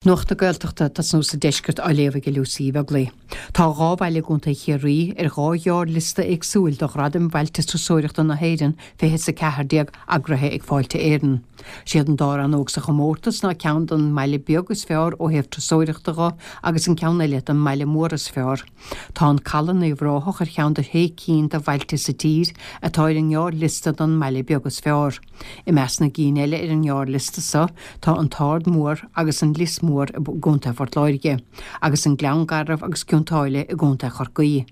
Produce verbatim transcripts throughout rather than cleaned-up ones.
Nuacht na Gaeltachta ag tosnú sa deisceart á léamh ag Lucy Ní Bheaglaoí. Tá dhá bhaile i gContae Chiarraí ar dhá ghearrliosta éagsúil do Ghradaim Bhailte Turasóireachta na hÉireann fiche is a ceathair déag eagraithe ag Fáilte Éireann. Siad an dá rannóg sa chomórtas ná ceann don mbaile beag is fearr ó thaobh turasóireachta dho agus an ceann eile don mbaile mór is fearr. Tá an Caladh in Uíbh Ráthach ar cheann de shé cinn de bhailte sa tír atá ar an ngearrliosta don mbaile beag is fearr. I measc na gcinn eile ar an ngearrliosta so tá an tArd Mór agus an Lios Mór i gContae Phort Láirge, agus an Gleann Garbh agus Cionn tSáile i gContae Chorcaí.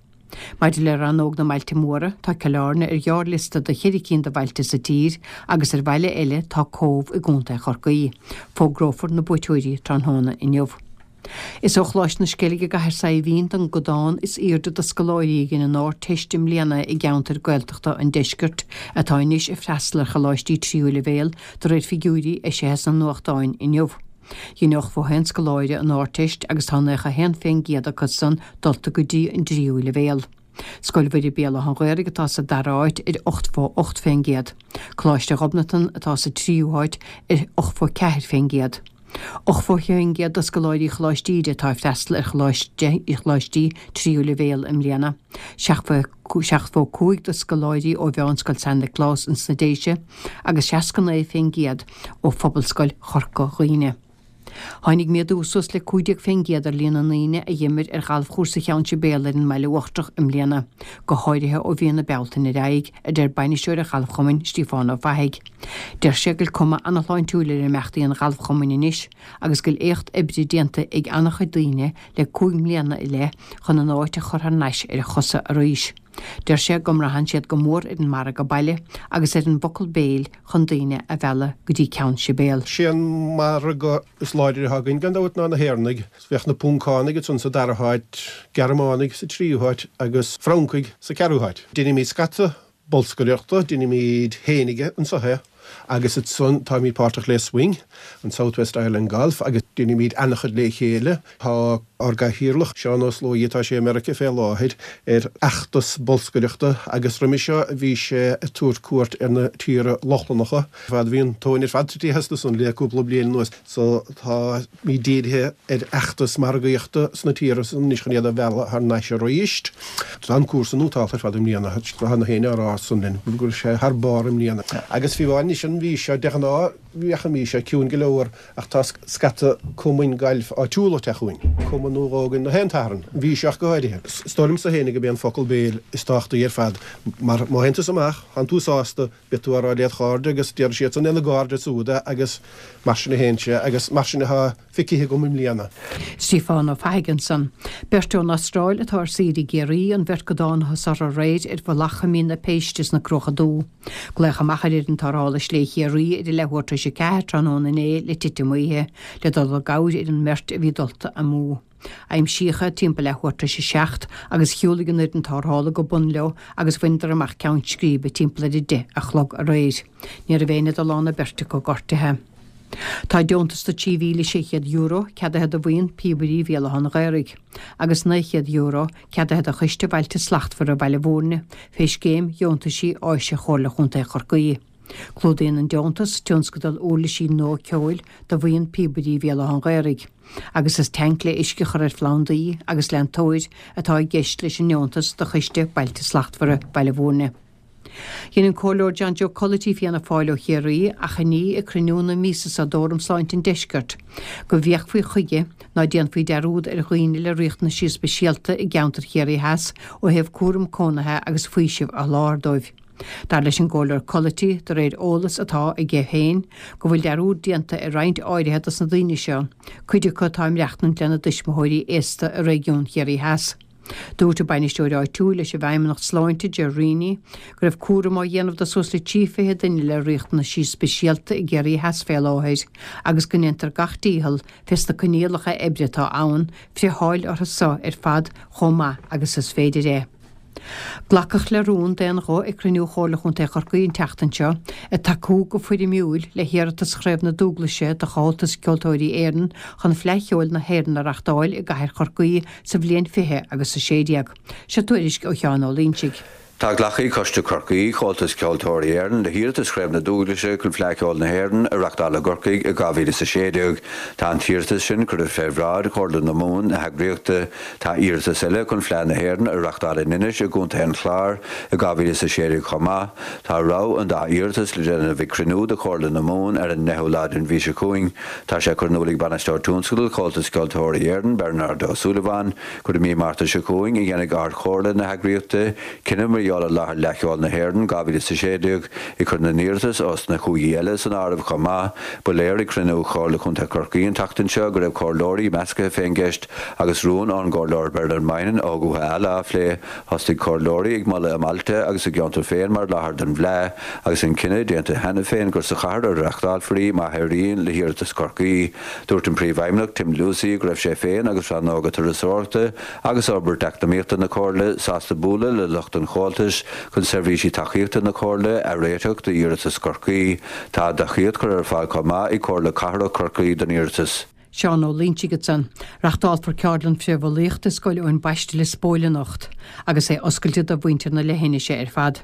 Maidir le rannóg na mbailte móra, tá Cill Airne ar ghearrliosta do cheithre cinn de bhailte sa tír agus ar bhaile eile tá Cóbh i gContae Chorcaí. Fógrófar na buaiteoirí tráthnóna inniu. Is ó Choláiste na Sceilge i gCathair Saidhbhín don gcodán is airde de scoláirí a dhein an Ardteist i mbliana i gceantar Gaeltachta an deiscirt atá anois ag freastal ar choláistí tríú leibhéal de réir figiúirí eisithe sna nuachtáin inniu. Dhein ochtó a haon scoláire an Ardteist agus tá naocha a haon fén gcéad acu san dulta go dtí an dtríú leibhéal. Scoil Mhuire Béal Átha an Ghaorthaidh atá sa dara háit ar ochtó ocht fén gcéad. Coláiste Ghobnatan atá sa tríú háit ar ochtó ceathair fén gcéad. Ochtó fén gcéad de scoláirí Choláiste Íde atá ag freastal ar choláistí tríú leibhéal i mbliana. Seachtó cúig de scoláirí ó Mheánscoil San Nioclás ins na Déise agus seasca naoi fén gcéad ó Phobalscoil Chorca Dhuibhne. Tháinig méadú suas le cúig déag fén gcéad ar líon na ndaoine a dh'imir ar ghalfchúrsa Cheann Sibéal ar an mBaile Uachtarach i mbliana, go háirithe ó mhí na Bealtaine ar aghaidh, a deir bainisteoir an ghalfchumainn, Stíofán Ó Fathaigh. Deir sé go bhfuil cuma ana-shláintiúil ar imeachtaí an ghalfchumainn anois agus go bhfuil éacht oibre déanta ag ana-chuid daoine le cúig mbliana i leith chun an áit a chur thar n-ais ar a chosa arís. Deir sé go mbraitheann siad go mór ar an margadh baile agus ar an bhfocal béil chun daoine a mhealladh go dtí Ceann Sibéal. Sé an margadh is láidre atá againn gan dabht ná na hÉireannaigh. Bheadh na Poncánaigh ansan sa dara háit, Gearmánaigh sa tríú háit agus Francaigh sa ceathrú háit. Deinimid scata bolscaireachta, deinimid fhéinig anso é agus ansan táimid páirteach le Swing, an South West Ireland Golf agus deinimid ana-chuid le chéile. Tá ár gcathaoirleach, Seán Ó Sluaighe, tá sé i Meiriceá fé láthair, ar fheachtas bolscaireachta agus roimhe seo bhí sé ag tabhairt cuairt ar na tíortha Lochlannacha. Fad bhí an tóin ar fad tite astu san le cúpla bliain anuas so táimid dírithe ar fheachtas margaíochta sna tíortha san anois chun iad a mhealladh thar n-ais arís. Tá an cúrsa nótálta ar fad i mbliana, tá na héinne á rá san linn go raibh sé thar barr i mbliana. Agus fiú amháin anois an mhí seo, de ghnáth bheadh an mhí seo ciúin go leor ach tá scata cumainn gailf áitiúla ag teacht chugainn, cumann nó dhó againn na haon tSatharn, an mhí seo ach go háirithe. Is dóigh liomsa féinig gurb é an focal béil is tábhachtaí ar fad mar má théann tusa amach, tánn tú sásta, beidh tú á rá led chairde agus déarfaidh siadsan lena gcairde siúd é agus mar sin a théann sé agus mar sin atá feicthe agam i mbliana. Stiofán Ó Fathaigh ansan. Beirt ón Astráil atá ar saoire i gCiarraí, an bheirt go dtángathas orthu aréir ar mhullach Choimín na Péiste sna Cruacha Dubha. Glaodh amach ar fhoireann tarrthála Slé Chiarraí ar a leathuair tar éis a ceathair tráthnóna inné le titim oíche, le dul i gcabhair ar an mbeirt a bhí dulta amú. Aimsíodh iad timpeall leathuair tar éis a seacht agus shiúlaigh an fhoireann tarrthála go bun leo agus bhaineadar amach ceann scríbe timpeall ar a deich a chlog aréir. Ní raibh éinne de lán na beirte acu gortaithe. Tá deontas de trí mhíle sé chéad euro ceadaithe do Bhuíon Píobairí Bhéal Átha an Ghaorthaidh agus naoi chéad euro ceadaithe do Choiste Bhailte Slachtmhara Bhaile Bhúirne fé Scéim Dheontaisí Áise Chomhairle Chontae Chorcaí. Clúdaíonn an deontas tionscadal uirlisí nua ceoil do Bhuíon Píobairí Bhéal Átha an Ghaorthaidh agus is tanc le uisce a chur ar phlandaí agus leantóir atá i gceist leis an ndeontas do Choiste Bailte Slachtmhara Bhaile Bhúirne. Dhein an Comhairleoir John Joe Culloty Fianna Fáil ó Chiarraí achainí ag cruinniú na míosa seo d'Fhóram Sláinte an Deiscirt go bhféachfaí chuige ná déanfaí dearúd ar dhaoine le riachtanaisí speisialta i gceantar Chiarraí Theas ó thaobh cúram cónaithe agus faoiseamh a sholáthar dóibh. Dar leis an gComhairleoir Culloty, de réir eolas atá aige féin, go bhfuil dearúd déanta ar roinnt áirithe dos na daoine seo, cuid acu atá ag maireachtaint lena dtuismitheoirí aosta i réigiún Chiarraí Theas. Dúirt an bainisteoir áitiúil leis an bhFeidhmeannacht Sláinte, Ger Reaney, go raibh cúram á dhéanamh de suas le trí fiche duine le riachtanaisí speisialta i gCiarraí Theas fé láthair agus go ndéantar gach dícheall fés na coinníollacha oibre atá ann friotháil orthu so ar fad chomh maith agus is féidir é. Glacadh le rún d'aon ghuth ag cruinniú Chomhairle Chontae Chorcaí an tseachtain seo ag tacú go foirmiúil le hiarratas Chraobh na Dúglaise de Chomhaltas Ceoltóirí Éireann chun Fleadh Cheoil na hÉireann a reachtáil i gcathair Chorcaí sa bhliain fiche agus a sé déag. Seo tuairisc ó Sheán Ó Loingsigh. Tá glactha ag Coiste Chorcaí Chomhaltas Ceoltóirí Éireann le hiarratas Chraobh na Dúglaise chun Fleadh Cheoil na hÉireann a reáchtáil i gCorcaigh i dhá mhíle is a sé déag. Tá an t-iarratas sin curtha fé bhráid Chomhairle na Mumhan na heagraíochta. Tá iarratas eile chun Fleadh na hÉireann a reáchtáil in Inis i gContae an Chláir i dhá mhíle is a sé déag chomh maith. Tá rogha an dá iarratas le déanamh ag cruinniú de Chomhairle na Mumhan ar an deichiú lá den mhí seo chugainn. Tá sé curtha in iúl ag Bainisteoir Tionscadail Chomhaltas Ceoltóirí Éireann, Bernard Ó Súilleabháin, gur i mí Márta seo chugainn a dhéanfaidh Ard-Chomhairle na heagraíochta cinneadh mar gheall ar láthair Fhleadh Cheoil na hÉireann dhá mhíle is a sé déag, ag cur na n-iarratas os na cúigí eile san áireamh chomh maith. Ba léir ag cruinniú Chomhairle Chontae Chorcaí an tseachtain seo go raibh comhairleoirí measctha fén gceist agus rún ón gcomhairleoir Bernard Moynihan ó Dhúiche Ealla á phlé. Thosaigh comhairleoirí ag moladh a mbailte agus a gceantar féin mar láthair don bhFleadh agus an cinneadh déanta cheana féin gur sa chathair a reáchtálfar í má éiríonn le hiarratas Chorcaí. Dúirt an Príomhfheidhmeannach Tim Lucey go raibh sé féin agus Rannóga Turasóireachta agus Fhorbairt Eacnamaíochta na Comhairle sásta bualadh le lucht an Chomhaltais chun seirbhísí tacaíochta na Comhairle a réiteach d'iarratas Chorcaí. Tá tacaíocht curtha ar fáil chomh maith ag Comhairle Cathrach Chorcaí don iarratas. Seán Ó Loingsigh ansan. Reáchtálfar ceardlann frithbhulaíochta i Scoil Eoin Baiste Lios Póil anocht, agus é oscailte do mhuintir na leithinise ar fad.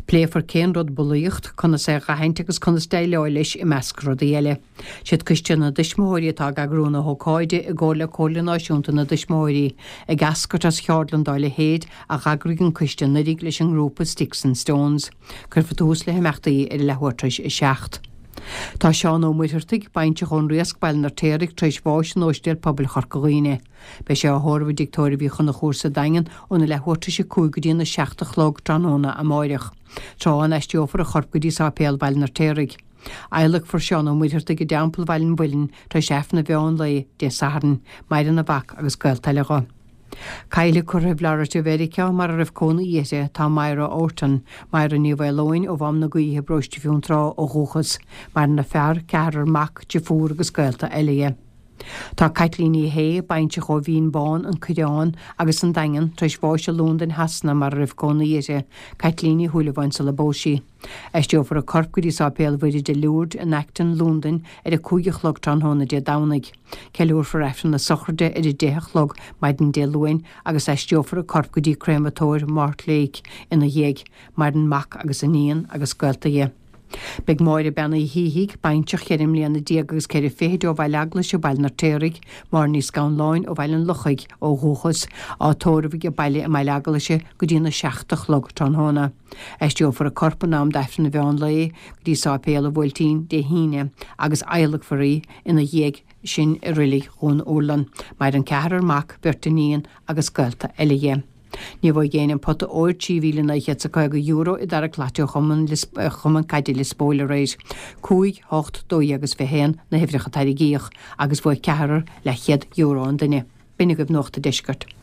Pléifear cén rud bulaíocht, conas é a aithint agus conas déileáil leis i measc rudaí eile. Siad Coiste na dTuismitheoirí atá ag eagrú na hócáide i gcomhar le Comhairle Náisiúnta na dTuismitheoirí, ag eascairt as cheardlann dá leithéid a d'eagraigh an coiste anuraidh leis an ngrúpa Sticks and Stones. Cuirfear tús le himeachtaí ar a leathuair tar éis a seacht. Tá Seán Ó Muircheartaigh, bainseach ón Riasc, Baile an Fheirtéaraigh, tar éis bháis in Óistéal Pobail Chorca Dhuibhne. Beidh sé á thórramh i dTigh Tórraimh Uí Chonchúir sa Daingean óna leathuair tar éis a cúig go dtí a seacht a chlog tráthnóna amáireach, tráth a n-aistreofar a chorp go dtí Sáipéal Bhaile an Fheirtéaraigh. Adhlacfar Seán Ó Muircheartaigh i dTeampall Bhaile an Mhuilinn tar éis Aifreann an mheán lae Dé Sathairn. Maireann a mhac agus gaolta eile dho. Caillte curtha i bhFlorida Mheiriceá mar a raibh cónaí uirthi tá Myra Orton, Myra Ní Mhaoileoin ó Mhám na Gaoithe, Paróiste Fionntrá ó dhúchas. Maireann a fear, ceathrar mac, deirfiúr agus gaolta eile dhi. Tá Caitlín Ní Shé, bainseach ó Mhín Bán, An Coireán agus an Daingean, tar éis bháis i Londain Shasana mar a raibh cónaí uirthi, Caitlín Ní Shúilleabháin sula bpós sí. Aistreofar a corp go dtí Sáipéal Mhuire de Lourdes in Acton, Londain ar a cúig a chlog tráthnóna Dé Domhnaigh. Ceiliúrfar Aifreann na sochraide ar a deich a chlog maidin Dé Luain agus aistreofar a corp go dtí créamatóir Mortlake ina dhiaidh. Maireann mac agus iníon agus gaolta dhi. Beidh Máire Bean Uí Shíthigh, bainseach cheithre mbliana déag agus ceithre fichid ó Bhaile Eaglais, Baile an Fheirtéaraigh, Máire Ní Scanláin ó Bhaile an Lochaigh ó dhúchas, á tórramh age baile i mBaile Eaglais go dtína seacht a chlog tráthnóna. Aistreofar a corp in am d'Aifreann an mheán lae go dtí Sáipéal an Bhuailtín Dé hAoine agus adhlacfar í ina dhiaidh sin i Reilig Dhún Urlann. Maireann ceathrar mac, beirt iníon agus gaolta eile dhi. Ní bhuaigh éinne an pota óir trí mhíle naoi chéad is a caoga euro i dtarrac lotto Chumann Chumann Caide Lios Póil aréir. Cúig, hocht, dó dhéag agus fiche haon na huimhreacha a tarraingíodh agus bhuaigh ceathrar leathchéad euro an duine. B'in agaibh Nuacht an Deiscirt.